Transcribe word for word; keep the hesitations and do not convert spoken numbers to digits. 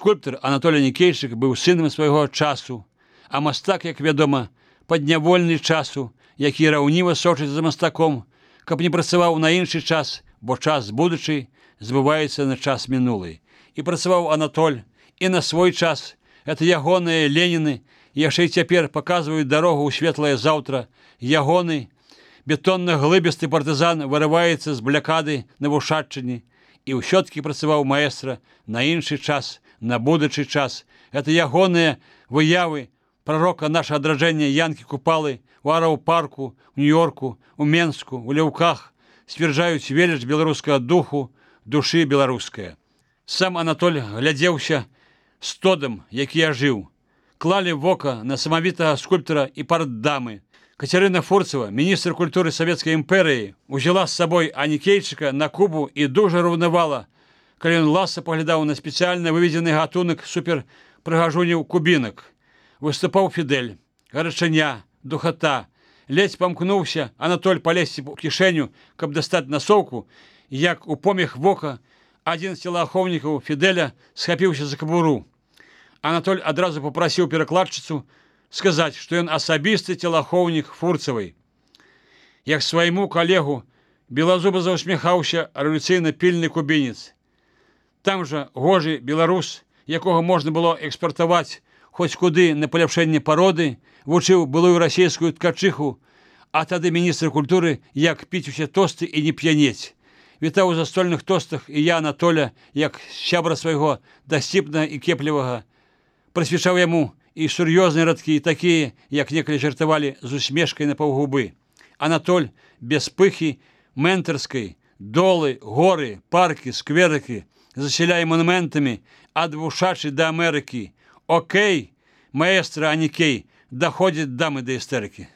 Скульптор Анатолій Нікейчык быў сынам свайго часу, а мастак, як вядома, паднявольны часу, які раўніва сочыць за мастаком, каб не працаваў на іншы час, бо час будучы збываецца на час мінулы. І працаваў Анатоль і на свой час. Это ягоныя Леніны яшчэ і цяпер паказваюць дарогу ў светлае заўтра. Ягоны бетонна-глыбісты партызан вырываецца з блякады на Вушаччыне. І ўсё-ткі працаваў маэстра на іншы час, на будучы час. Это ягоныя выявы прарока наша адраджэння Янкі Купалы у Араў-парку, у Нью-Йорку, у Менску, у Ляўках сцвярджаюць веліч беларускага духу, душы беларуская. Сам Анатоль глядзеўся стодам, які я жыў. Клалі вока на самавітага скульптара і партдамы. Кацярына Фурцева, міністр культуры Савецкай імперыі, узяла з сабой Нікейчыка на Кубу і дужа раўнавала, калі ён ласа паглядаў на спецыяльна выведзены гатунак суперпрыгажуняў кубінак. Выступаў Фідэль, гарачыня, духата. Ледзь памкнуўся Анатоль палезці ў кішэню, каб дастаць насоўку, як у помех вока адзін з целаахоўнікаў Фідэля схапіўся за кабуру. Анатоль адразу папрасіў перакладчыцу сказаць, што ён асабісты целаахоўнік Фурцевай. Як свайму калегу белазуба заўсміхаўся рэвалюцыйна пільны кубінец. Там жа гожы беларус, якога можна было экспартаваць хоць куды на паляпшэнне пароды, вучыў былую расійскую ткачыху, а тады міністр культуры, як піць усе тосты і не п'янець. Вітаў у застольных тостах і я, Анатоля, як сябра свайго дасціпнага і кеплівага, прысвячаў яму і сур'ёзныя радкі, такія, як некалі жартавалі з усмешкай на паўгубы. Анатоль без пыхі ментарскай, долы, горы, паркі, скверыкі, засяляе манументамі ад Вушачы да Амерыкі. Окей, маэстра Анікей, даходзіць дамы да істэрыкі.